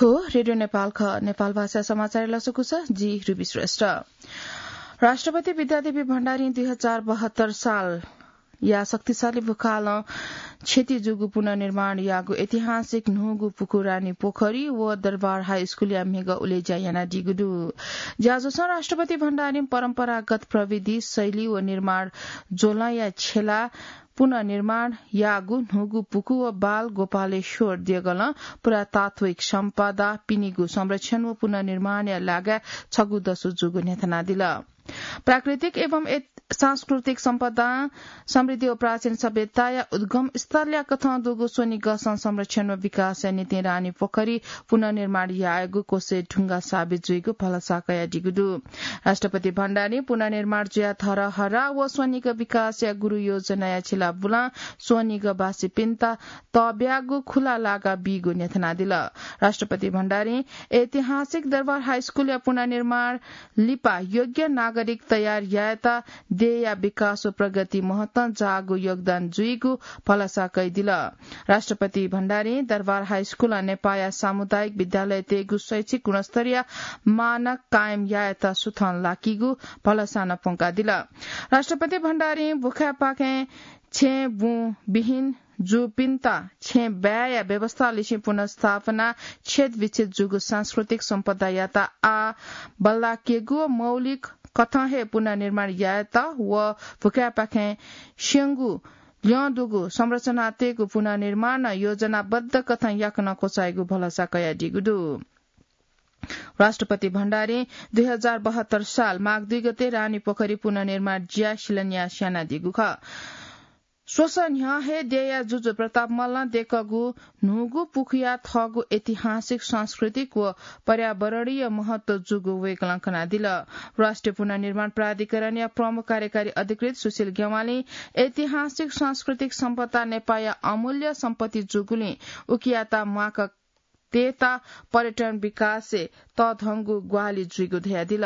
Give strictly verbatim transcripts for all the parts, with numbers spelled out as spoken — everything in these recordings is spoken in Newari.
रेडियो नेपाल ख, नेपाल भाषा समाचार लसकुस, जि रुबी श्रेष्ठ। राष्ट्रपति विद्यादेवी भण्डारी दुई हजार बहत्तर साल या शक्तिशाली भूखालं क्षति जूगु पुनर्निर्माण याःगु ऐतिहासिक न्हूगु पुखु रानी पोखरी व दरबार हाई स्कूलया म्हिगः उलेज्या यानादीगु दु। ज्याझ्वलं राष्ट्रपति भण्डारी परम्परागत प्रविधि, शैली व निर्माण ज्वलंया छेला पुनर्निर्माण याःगु न्हूगु पुखु व बाल गोपालेश्वर देगलं पुरातात्विक सम्पदा पिनिगु संरक्षण व पुनर्निर्माणया लागाय् छगू दसु जूगु न्ह्यथनादिल। प्राकृतिक एवं सांस्कृतिक सम्पदा, समृद्धि व प्राचीन सभ्यताया उद्गम स्थलया कथं दुगु स्वनिगःसं संरक्षण व विकासया निंतिं रानी पोखरी पुनर्निर्माण यायेगु कोसे ढुंगा साबित जुइगु भलसा कयादीगु दु। राष्ट्रपति भण्डारी पुनर्निर्माण जुया धरहरा व स्वनिगः विकासया गुरु योजनाया छिला बुलां स्वनिगः बासिपिन्त तब्यागु खुला लागा बीगु न्ह्यथनादिल। राष्ट्रपति भण्डारी ऐतिहासिक दरबार हाई स्कूलया पुनर्निर्माण लिपा योग्य नागरिक तयार यायेत देय्‌या विकास व प्रगति महत्तं जाःगु योगदान जुइगु भलसा कयादिल। राष्ट्रपति भण्डारी दरबार हाई स्कूलं नेपाःया सामुदायिक विद्यालयतय्‌गु शैक्षिक गुणस्तरया मानक कायम यायेत सुथं लाकीगु भलसा नं प्वंकादिल। राष्ट्रपति भण्डारी भुखाय्‌पाखें छेँ बुँ बिहिन जूपिन्त छेँ बाय्‌या व्यवस्था लिसें पुनर्स्थापना, छेँत बिछेँत जूगु सांस्कृतिक सम्पदायात आः बल्लाकेगु व मौलिक कथं हे पुनर्निर्माण यायेत व भुखाय्‌पाखें स्यंगु ल्यं दुगु संरचनातय्‌गु पुनर्निर्माण योजनाबद्ध कथं याकनं क्वचाइगु भलसा कयादीगु दु। राष्ट्रपति भण्डारी दुई हजार बहत्तर साल माघ दुई गते रानी पोखरी पुनर्निर्माण ज्या शिलान्यास यानादीगु खः। स्वसः न्ह्यः हे देय्‌या जुजु प्रताप मल्लं देकःगु न्हूगु पुखुया थःगु ऐतिहासिक, सांस्कृतिक व पर्यावरणीय महत्व जूगु वय्‌कलं कनादिल। राष्ट्रिय पुनर्निर्माण प्राधिकरणया प्रमुख कार्यकारी अधिकृत सुशील ज्ञवालीं ऐतिहासिक सांस्कृतिक सम्पदा नेपाःया अमूल्य सम्पत्ति जूगुलिं उकियात म्वाक तयेत पर्यटन विकासय् तःधंगु ग्वाहालि जुइगु धयादिल।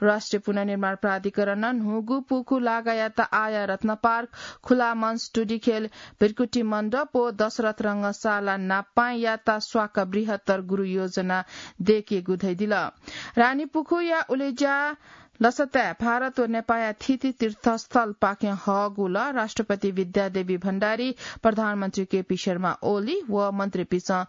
राष्ट्रिय पुनर्निर्माण प्राधिकरणं न्हूगु पुखु लागायात आःया रत्न पार्क, खुला मञ्च, टुडिखेल, भृकुटी मण्डप व दशरथ रंगशाला नापांयात स्वाका बृहत्तर गुरु योजना दयेकेगु धयादिल। रानी पुखुया उलेज्या लसताय् भारत व नेपाःया थीथी तीर्थस्थलपाखें हःगु लः राष्ट्रपति विद्यादेवी भण्डारी, प्रधानमन्त्री केपी शर्मा ओली व मन्त्रीपिसं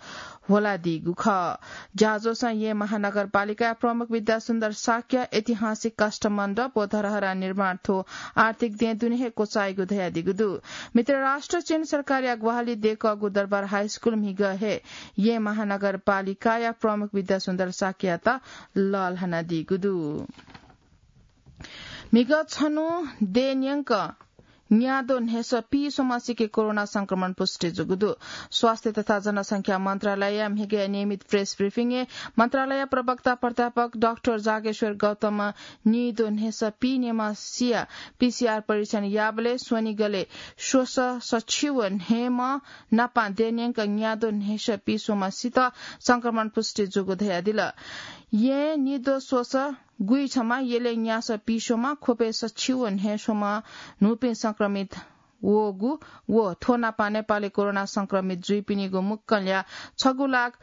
ह्वलादीगु खः। ज्याझ्वलं येँ महानगरपालिकाया प्रमुख विद्यासुन्दर शाक्य, ऐतिहासिक काष्ठमण्डप व धरहरा निर्माण थ्व आर्थिक दँय् दुने हे क्वचाइगु धयादीगु दु। मित्र राष्ट्र चीन सरकारया ग्वाहालि दयेकःगु दरबार हाई स्कूल म्हिगः हे येँ महानगरपालिकाया प्रमुख विद्यासुन्दर शाक्ययात लःल्हानादीगु दु। म्हिगः छन्हु देय् न्यंक न्याद्वः न्हय्‌सः पीस्वम्ह सिके कोरोना संक्रमण पुष्टि जूगु दु। स्वास्थ्य तथा जनसंख्या मन्त्रालयया म्हिगःया नियमित प्रेस ब्रिफिङय् मन्त्रालय प्रवक्ता प्राध्यापक डाक्टर जागेश्वर गौतमं नीद्वः न्हय्‌सः पीन्यम्ह सिया पीसीआर परीक्षण याःबलय् स्वनिगलय् स्वसः सछि व न्हय्‌म्ह नापां देय् न्यंक न्याद्वः न्हय्‌सः पीस्वम्ह सित संक्रमण पुष्टि जूगु धयादिल। येँय् नीद्वः स्वसः गुइछम्ह, यलय् न्यासः पीस्वम्ह, ख्वपय् सछि व न्हय्‌स्वम्ह न्हूपिं संक्रमित वःगु व थ्व नापं नेपालय् कोरोना संक्रमित जुइपिनिगु मुक्कलया छगू लाख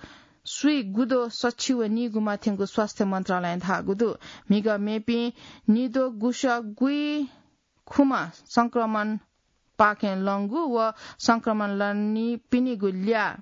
स्वीगुद्वः सछि व नीगुम्ह थ्यंगु स्वास्थ्य मन्त्रालयं धाःगु दु। म्हिगः मेपिं नीद्वः गुसः गुइखुम्ह संक्रमणपाखें लंगु व संक्रमण लनीपिनिगु ल्याः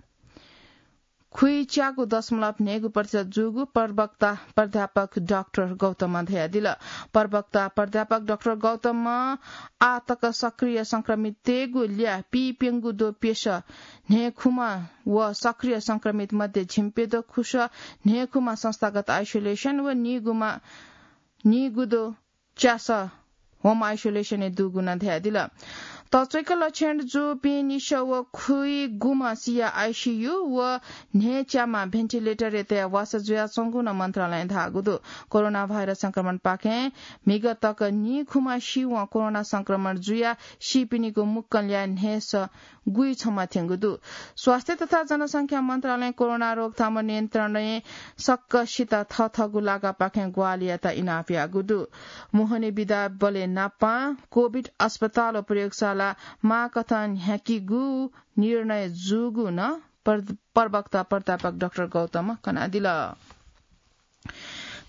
खुइच्यागू दशमलव न्हय्‌गू प्रतिशत जूगु प्रवक्ता प्राध्यापक डाक्टर गौतमं धयादिल। प्रवक्ता प्राध्यापक डाक्टर गौतमं आः तक सक्रिय संक्रमिततय्‌गु ल्याः पीप्यंगू द्वः प्यसः न्हय्‌खुम्ह व सक्रिय संक्रमित मध्ये झिंप्यद्वः खुसः न्हय्‌खुम्ह संस्थागत आइसोलेसन व नीगुम्ह, नीगुद्वः च्यासः होम आइसोलेसनय् दुगु नं धयादिल। तच्वय्‌क लक्षण जूपिं निसः व खुइगुम्ह सिया आइसीयू व न्हय्‌च्याम्ह भेन्टिलेटरय् तयाः वासः जुयाच्वंगु नं मन्त्रालयं धाःगु दु। कोरोना भाइरस संक्रमणपाखें म्हिगः तक नीखुम्ह सिवं कोरोना संक्रमण जुयाः सीपिनिगु मुक्कलया न्हय्‌सः गुइछम्ह थ्यंगु दु। स्वास्थ्य तथा जनसंख्या मन्त्रालयं कोरोना रोकथाम नियन्त्रणय् सकसित थःथःगु लागापाखें ग्वाहालियात इनाप याःगु दु। मोहनी विधाबलय् नापं कोभिड अस्पताल व प्रयोगशाला माःकथं न्ह्याकीगु निर्णय जूगु नं प्रवक्ता प्राध्यापक डाक्टर गौतम कनादिल।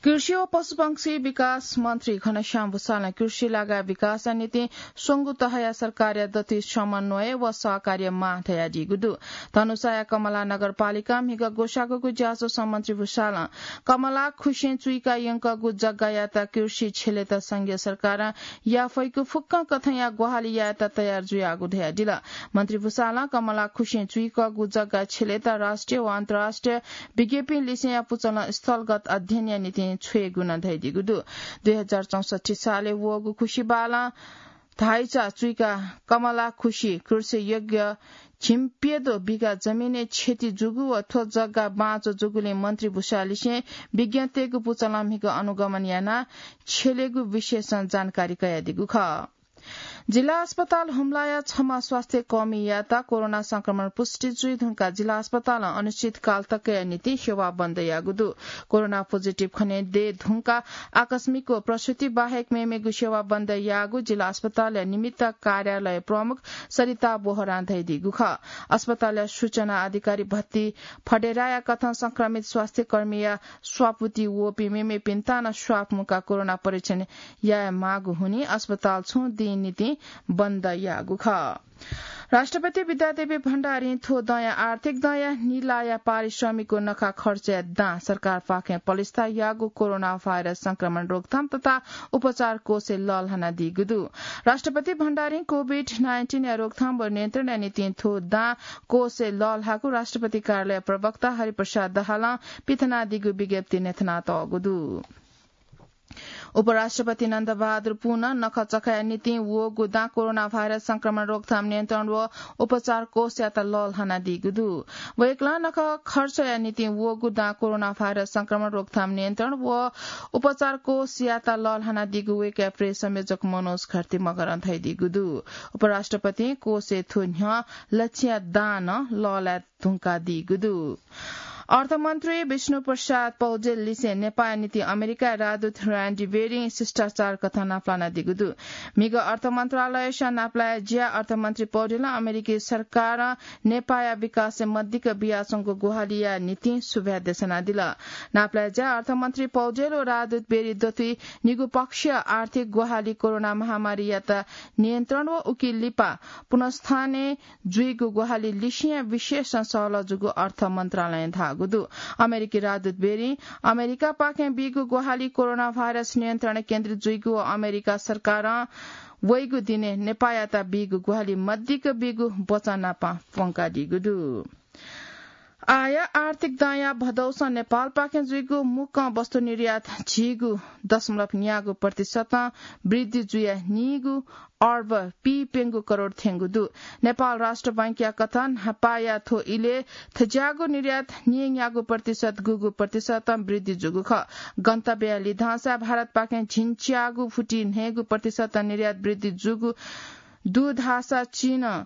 कृषि व पशुपक्षी विकास मन्त्री घनश्याम भूषालं कृषि लगायत विकासया निंतिं स्वंगू तहया सरकारया दथुइ समन्वय व सहकार्य माः धयादीगु दु। धनुषाया कमला नगरपालिकां म्हिगः ग्वसाःगुगु ज्याझ्वलय् मन्त्री भूषालं कमला खुसिं चुइका यंकःगु जग्गायात कृषि छ्यलेत संघीय सरकारं याफइगु फुक्कं कथंया ग्वाहालि यायेत तयार जुयागु धयादिल। मन्त्री भूषालं कमला खुसिं चुइकःगु जग्गा छ्यलेत राष्ट्रिय व अन्तर्राष्ट्रिय विज्ञपिं लिसेंया पुचलं स्थलगत अध्ययनया निंतिं छ्वयेगु नं धयादीगु दु। दुई हजार चौसट्ठी सालय् वःगु खुसिबालं धाइचा चुइका कमला खुसि कृषि योग्य झिंप्यदँ बिघा जमिनय् क्षति जूगु व थ्व जग्गा बाँचो जूगुलिं मन्त्री भूषालिसें विज्ञतय्गु पुचलं म्हिगः अनुगमन यानाः छ्यलेगु विषयसं जानकारी कयादीगु खः। जिल्ला अस्पताल हुम्लाया छम्ह स्वास्थ्य कर्मीयात कोरोना संक्रमण पुष्टि जुइ धुंकाः जिल्ला अस्पतालं अनिश्चितकाल तकया निंतिं सेवा बन्द याःगु दु। कोरोना पोजिटिभ खने दये धुंकाः आकस्मिक व प्रसुति बाहेक मेमेगु सेवा बन्द याःगु जिल्ला अस्पतालया निमित्त कार्यालय प्रमुख सरिता बोहरां धयादीगु खः। अस्पतालया सूचना अधिकारी भत्ती फडेराया कथं संक्रमित स्वास्थ्य कर्मीया स्वापुति वःपिं मेमेपिन्त नं स्वाप मुकाः कोरोना परीक्षण याये माःगु हुनिं अस्पताल छुं दिं निंतिं बन्द याःगु खः। राष्ट्रपति विद्यादेवी भण्डारीं थ्व दँया आर्थिक दँया निलाया पारिश्रमिक व नखा खर्चया दां सरकारपाखें पलिस्था याःगु कोरोना भाइरस संक्रमण रोकथाम तथा उपचार कोषय् लःल्हानादीगु दु। राष्ट्रपति भण्डारीं कोभिड नाइन्टिनया रोकथाम व नियन्त्रणया निंतिं थ्व दां कोषय् लःल्हाःगु राष्ट्रपति कार्यालय प्रवक्ता हरिप्रसाद दाहालं पिथनादीगु विज्ञप्तिइ न्ह्यथनातःगु दु। उपराष्ट्रपति नन्दबहादुर पुनं नखःचखःया निंतिं वःगु दां कोरोना भाइरस संक्रमण रोकथाम नियन्त्रण व उपचार कोषयात लःल्हानादीगु दु। वय्कलं नखः खर्चया निंतिं वःगु दां कोरोना भाइरस संक्रमण रोकथाम नियन्त्रण व उपचार कोषयात लःल्हानादीगु वय्कःया प्रेस संयोजक मनोज खर्ती मगरं धयादीगु दु। उपराष्ट्रपतिं कोषय् थ्व न्ह्यः लच्छिया दां नं लःल्हाये धुंकादीगु दु। अर्थमन्त्री विष्णु प्रसाद पौडेल लिसें नेपाःया निंतिं अमेरिकाया राजदूत र्यान्डी बेरिं शिष्टाचार कथं नापलानादीगु दु। म्हिगः अर्थ मन्त्रालयस नापलाये ज्या अर्थमन्त्री पौडेलं अमेरिकी सरकारं नेपाःया विकासय् मदिक्क बियाच्वंगु ग्वाहालिया निंतिं सुभाय् देछानादिल। नापलाये ज्या अर्थमन्त्री पौडेल व राजदूत बेरी दथुइ निगू पक्षीय आर्थिक ग्वाहालि कोरोना महामारीयात नियन्त्रण व उकी लिपा पुनर्स्थापना जुइगु ग्वाहालि लिसेंया विषयसं सहलह जूगु अर्थ मन्त्रालयं धाःगु दु। अमेरिकी राजदूत बेरिं अमेरिकापाखें बीगु ग्वाहालि कोरोना भाइरस नियन्त्रणय् केन्द्रित जुइगु व अमेरिका सरकारं वइगु दिनय् नेपाःयात बीगु ग्वाहालि मदिक्क बीगु वचन नाप प्वंकादीगु दु। आःया आर्थिक दँया भदौसं नेपालपाखें जुइगु मुक्कं वस्तु निर्यात झिगू दशमलव न्यागू प्रतिशतं वृद्धि जुयाः नीगू अर्ब पीप्यंगू करोड थ्यंगु दु। नेपाल राष्ट्र बैंकया कथं न्हापाया थ्व इलय् थज्याःगु निर्यात नीन्यागू प्रतिशत गूगू प्रतिशतं वृद्धि जूगु खः। गन्तव्यया लिधंसा भारतपाखें झिंच्यागू फुति न्हय्गू प्रतिशतं निर्यात वृद्धि जूगु दु धाःसा चीनं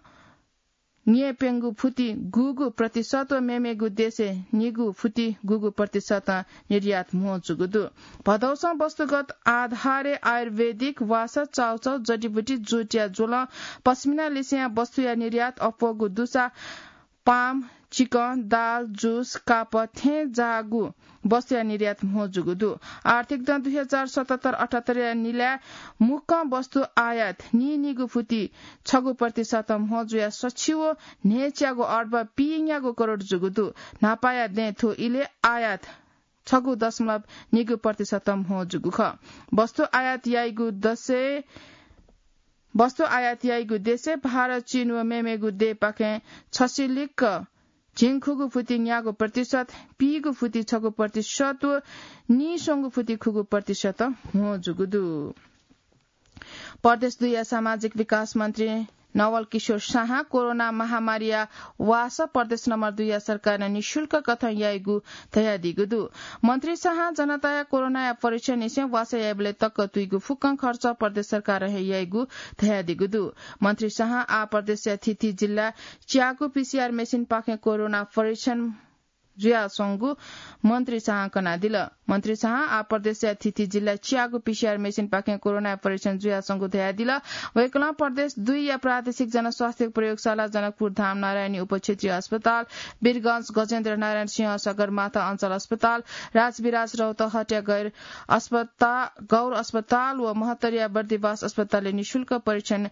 न्यय्प्यंगू फुति गूगू प्रतिशत व मेमेगू देशय् निगू फुति गूगू प्रतिशतं निर्यात म्हो जूगु दु। भदौसं वस्तुगत आधारय् आयुर्वेदिक वासः, चाउचाउ, जडीबुटी, जुटया ज्वलं, पश्मिना लिसेंया वस्तुया निर्यात अप्वःगु दुसा पाम, चिकं, दाल, जुस, कापः थें जाःगु वस्तुया निर्यात म्हो जूगु दु। आर्थिक दँ दुई हजार सतहत्तर अठहत्तरया निलाय् मुक्कं वस्तु आयात नीनिगू फुति छगू प्रतिशतं म्हो जुयाः सछि व न्हय्च्यागू अर्ब पीन्यागू करोड जूगु दु। न्हापाया दँय् थ्व इलय् आयात छगू दशमलव निगू प्रतिशतं म्हो जूगु खः। वस्तु आयात याइगु दसय्, वस्तु आयात याइगु देशय् भारत, चीन व मेमेगु देय्‌पाखें छसिलिक झिंखुगू फुति न्यागू प्रतिशत, पीगू फुति छगू प्रतिशत व नीस्वंगू फुति खुगू प्रतिशतं म्हो जूगु दु। प्रदेश दुईया सामाजिक विकास मन्त्री नवल किशोर शाहं कोरोना महामारीया वासः प्रदेश नम्बर दुईया सरकारं निशुल्क कथं याइगु धयादीगु दु। मन्त्री शाहं जनताया कोरोनाया परीक्षणनिसें वासः याइबलय् तक तुइगु फुक्कं खर्च प्रदेश सरकारं हे याइगु धयादीगु दु। मन्त्री शाहं आः प्रदेशया थीथी जिल्लाय् च्यागू पीसीआर मेसिनपाखें कोरोना परीक्षण जुयाच्वंगु मन्त्री शाहं कनादिल। मन्त्री शाहं आः प्रदेशया थीथी जिल्लाय् च्यागू पीसीआर मेसिनपाखें कोरोना परीक्षण जुयाच्वंगु धयादिल। वय्कलं प्रदेश दुईया प्रादेशिक जनस्वास्थ्य प्रयोगशाला, जनकपुर धाम नारायणी उपक्षेत्रीय अस्पताल, वीरगंज गजेन्द्र नारायण सिंह सगरमाथा अञ्चल अस्पताल, राजविराज रौतहटया गैर अस्पता-, गौर अस्पताल व महत्तरिया बर्दिवास अस्पतालय् निशुल्क परीक्षण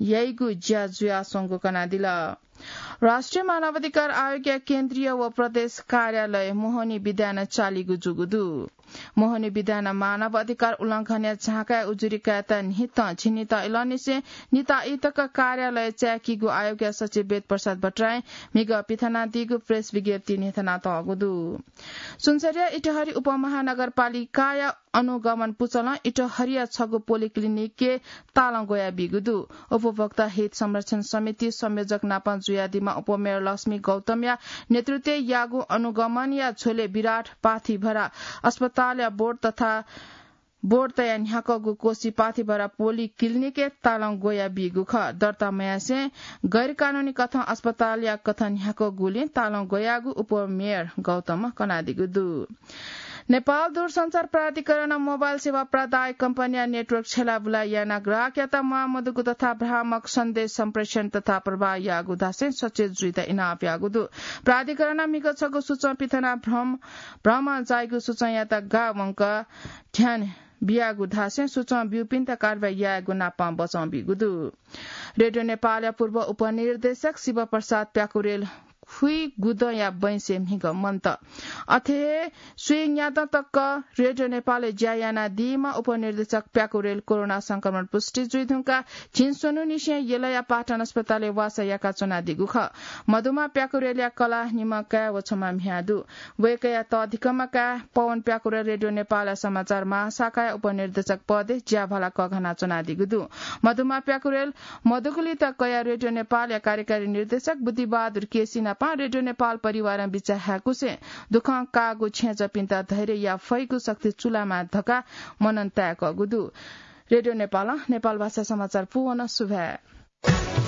याइगु ज्या जुयाच्वंगु कनादिल। राष्ट्रिय मानवाधिकार आयोगया केन्द्रीय व प्रदेश कार्यालय मोहनी विद्यानं चालीगु जूगु दु। मोहनी विद्यानं मानव अधिकार उल्लंघनया झाँकाय् उजुरी कायेत न्हितं झिंनिदँ इलंनिसें निता इतक कार्यालय चाय्कीगु आयोगया सचिव वेद प्रसाद भट्टराईं म्हिगः पिथनादीगु प्रेस विज्ञप्तिइ न्ह्यथनातःगु दु। सुनसरीया इटहरी उपमहानगरपालिकाया अनुगमन पुचलं इटहरीया छगू पोलिक्लिनिकय् तालं ग्वयाबीगु दु। उपभोक्ता हित संरक्षण समिति संयोजक नाप जुयादीम्ह उपमेयर लक्ष्मी गौतमया नेतृत्वय् याःगु अनुगमनया झ्वलय् विराट पाथिभरा अस्पतालया बोर्ड तथा बोर्ड तयाः न्ह्याकःगु कोसी पाथिभरा पोलिक्लिनिकय् तालं ग्वयाबीगु खः। दर्ता मयासें गैरकानूनी कथं अस्पतालया कथं न्ह्याकःगुलिं तालं ग्वयाःगु उपमेयर गौतमं कनादीगु दु। नेपाल दूरसञ्चार प्राधिकरणं मोबाइल सेवा प्रदायक कम्पनीया नेटवर्क छ्यलाबुला यानाः ग्राहकयात म्वाःमदुगु तथा भ्रामक सन्देश सम्प्रेषण तथा प्रवाह याःगु धासें सचेत जुइत इनाप याःगु दु। प्राधिकरणं म्हिगः छगू सूचं पिथनाः भ्रम, भ्रमं जाइगु सूचंयात गाः वंक ध्यान बियागु धासें सूचं ब्यूपिन्त कारवाही यायेगु नापं बचं बीगु दु। रेडियो नेपालया पूर्व उपनिर्देशक शिवप्रसाद प्याकुरेल खुइगुदँया बैंसय् म्हिगः मन्त। अथे हे स्वीन्यादँ तक रेडियो नेपालय् ज्या यानादीम्ह उपनिर्देशक प्याकुरेल कोरोना संक्रमण पुष्टि जुइधुंकाः झिंस्वन्हुनिसें यलया पाटन अस्पतालय् वासः याकाच्वनादीगु खः। मधुमा प्याकुरेलया कलाः निम्ह काय् व छम्ह म्ह्याय् दु। वय्कःया तःधिकःम्ह काय् पवन प्याकुरेल रेडियो नेपालया समाचार महाशाखाया उपनिर्देशक पदय् ज्याभाला कःघानाच्वनादीगु दु। मधुमा प्याकुरेल मदुगुलित कयाः रेडियो नेपालया कार्यकारी निर्देशक बुद्धिबहादुर केसी नाप रेडियो नेपाल परिवारं बिचाः हाय्कुसें दुःखं काःगु छेँजःपिन्त धैर्य याये फइगु शक्ति चूलामा धकाः मनन ताय्कःगु दु। रेडियो नेपालं नेपालभाषा समाचार पूवन। सुभाय्।